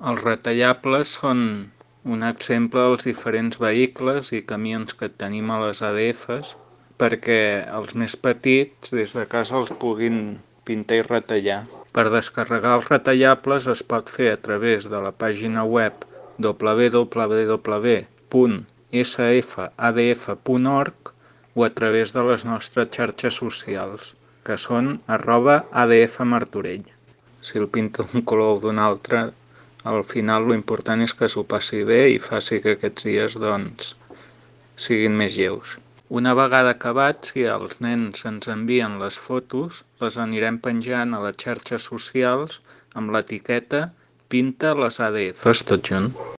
Els retallables són un exemple dels diferents vehicles i camions que tenim a les ADFs perquè els més petits des de casa els puguin pintar i retallar. Per descarregar els retallables es pot fer a través de la pàgina web www.sfadf.org o a través de les nostres xarxes socials, que són @adfmartorell. Si el pinta d'un color o d'un altre, al final l'important és que s'ho passi bé i faci que aquests dies, doncs, siguin més lleus. Una vegada acabats, si els nens ens envien les fotos, les anirem penjant a les xarxes socials amb l'etiqueta Pinta les ADFs tot junt.